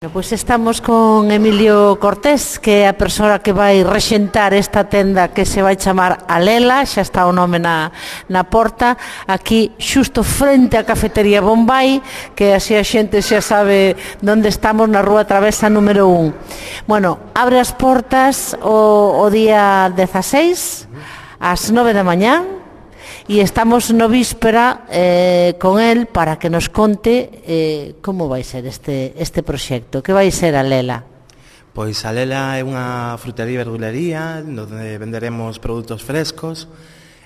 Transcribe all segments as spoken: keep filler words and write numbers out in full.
Pois estamos con Emilio Cortés, que é a persoa que vai rexentar esta tenda que se vai chamar Alela, xa está o nome na, na porta, aquí xusto frente á cafetería Bombay, que así a xente xa sabe onde estamos, na rúa Travesa número un. Bueno, abre as portas o, o día dezaseis, ás nove da mañá, e estamos no víspera eh, con el para que nos conte eh, como vai ser este, este proxecto, que vai ser a Lela. Pois a Lela é unha frutería e verdulería onde venderemos produtos frescos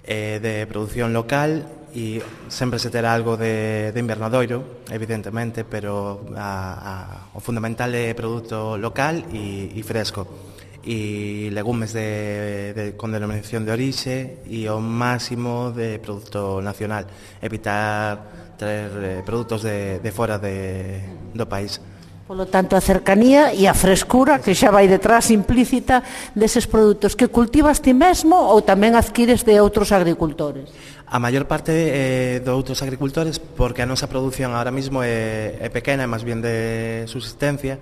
eh, de produción local e sempre se terá algo de, de invernadoiro, evidentemente, pero a, a, o fundamental é produto local e, e fresco, e legumes de, de, con denominación de orixe e o máximo de produto nacional, evitar traer eh, produtos de, de fora de, do país. Polo tanto, a cercanía e a frescura que xa vai detrás implícita deses produtos que cultivas ti mesmo ou tamén adquires de outros agricultores. A maior parte é de outros agricultores, porque a nosa produción ahora mismo é, é pequena, é máis bien de subsistencia.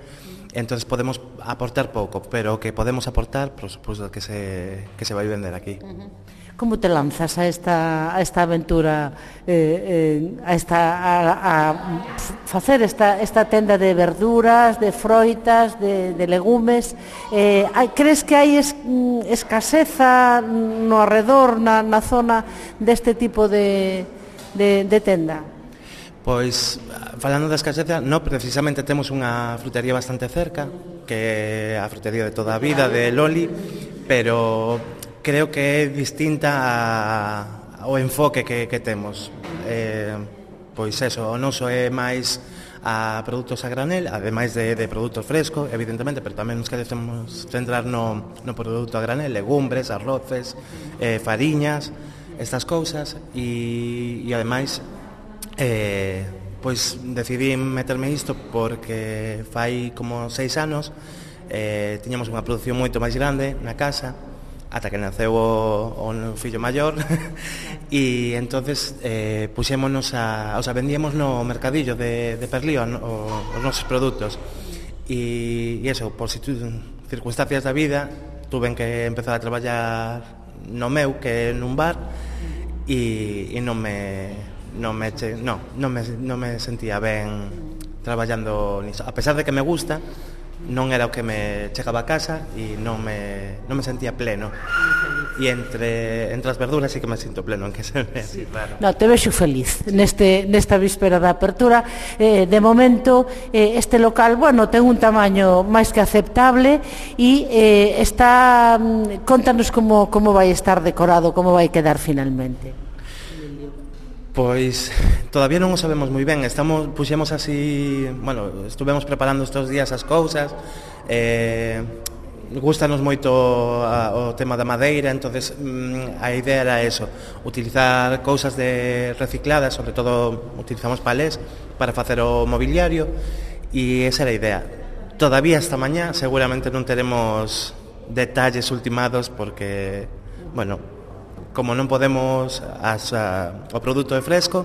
Entonces podemos aportar pouco, pero o que podemos aportar, por suposto, que se, que se vai vender aquí. Como te lanzas a esta, a esta aventura, eh, eh, a, esta, a, a facer esta, esta tenda de verduras, de froitas, de, de legumes? Eh, hai, crees que hai es, escaseza no arredor, na, na zona deste tipo de, de, de tenda? Pois, falando da escaseza, no, precisamente temos unha frutería bastante cerca, que é a frutería de toda a vida, de Loli, pero creo que é distinta a, ao enfoque que, que temos. Eh, pois eso, o noso é máis a produtos a granel, ademais de, de produtos frescos, evidentemente, pero tamén nos queremos centrar no, no produto a granel, legumbres, arroces, eh, fariñas, estas cousas, e, e ademais, Eh, pois decidí meterme isto porque fai como seis anos eh, tiñamos unha produción moito máis grande na casa ata que naceu o, o fillo maior e entonces eh, puxémonos a, o sea, vendíamos no mercadillo de, de Perlío o, os nosos produtos e, e eso, por circunstancias da vida tuven que empezar a traballar no meu, que é nun bar e, e non me non me, no, non me, non me sentía ben traballando niso. A pesar de que me gusta, non era o que me chegaba a casa e non me, non me sentía pleno. E entre, entre as verduras sí que me sinto pleno, en que se ve así, claro. No, te vexo feliz neste, nesta víspera da apertura. Eh, de momento, eh, este local, bueno, ten un tamaño máis que aceptable e eh, está, contanos como, como vai estar decorado, como vai quedar finalmente. Pois todavía non o sabemos moi ben. Estamos, puxemos así, bueno, estuvemos preparando estes días as cousas. Eh, gustanos moito a, o tema da madeira, entonces mm, a idea era eso, utilizar cousas de recicladas, sobre todo utilizamos palés para facer o mobiliario e esa era a idea. Todavía esta mañá seguramente non teremos detalles ultimados porque, bueno, como non podemos as, a, o produto é fresco,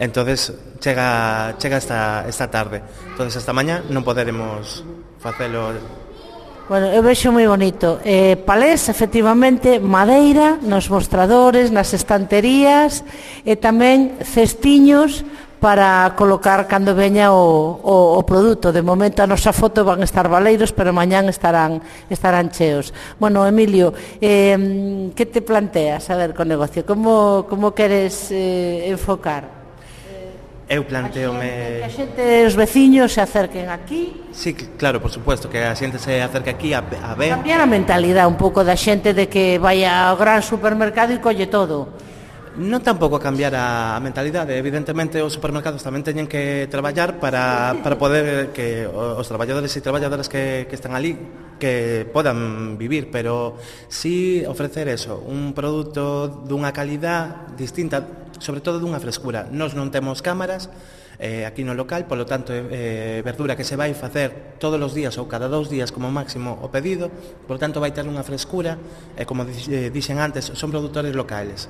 entonces chega, chega esta, esta tarde. Entonces esta mañá non poderemos facelo. Bueno, eu vexo moi bonito. Eh, palés, efectivamente, madeira nos mostradores, nas estanterías e tamén cestiños para colocar cando veña o, o, o produto. De momento a nosa foto van estar baleiros, pero mañán estarán, estarán cheos. Bueno, Emilio, eh, que te planteas a ver co negocio? Como, como queres eh, enfocar? Eu planteome... Que a xente, os veciños se acerquen aquí. Sí, claro, por supuesto, que a xente se acerque aquí a, a ver. Cambiar a mentalidade un pouco da xente de que vai ao gran supermercado e colle todo. Non tampouco cambiar a mentalidade. Evidentemente os supermercados tamén teñen que traballar para, para poder que os traballadores e traballadoras que, que están ali que podan vivir, pero sí ofrecer eso, un produto dunha calidad distinta, sobre todo dunha frescura. Nós non temos cámaras eh, aquí no local, polo tanto eh, verdura que se vai facer todos os días ou cada dous días como máximo o pedido, polo tanto vai ter unha frescura e, como dixen antes, son produtores locales.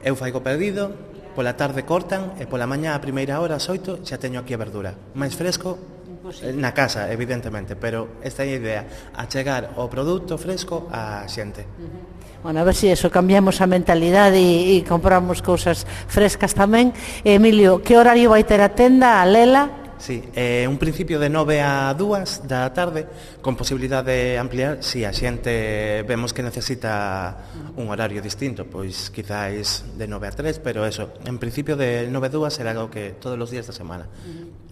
Eu faigo pedido, pola tarde cortan e pola mañá a primeira hora, ás oito, xa teño aquí a verdura. Mais fresco Imposible. Na casa, evidentemente, pero esta é a idea, achegar o produto fresco á xente. Bueno, a ver se si eso, cambiamos a mentalidade e, e compramos cousas frescas tamén. Emilio, que horario vai ter a tenda, a Lela? Sí, eh, un principio de nove a dúas da tarde, con posibilidade de ampliar se si a xente vemos que necesita un horario distinto, pois quizáis de nove a tres, pero eso, en principio de nove a dúas será algo que todos os días da semana.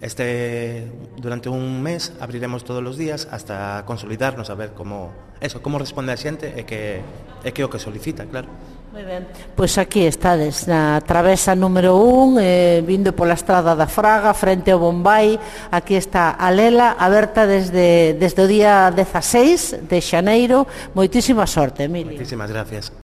Este, durante un mes abriremos todos os días hasta consolidarnos a ver como, eso, como responde a xente e que, e que o que solicita, claro. Moi ben, pois aquí estades na travesa número un, eh, vindo pola estrada da Fraga, frente ao Bombay. Aquí está a Lela, aberta desde, desde o día dezaseis de xaneiro. Moitísima sorte, Emilio. Moitísimas gracias.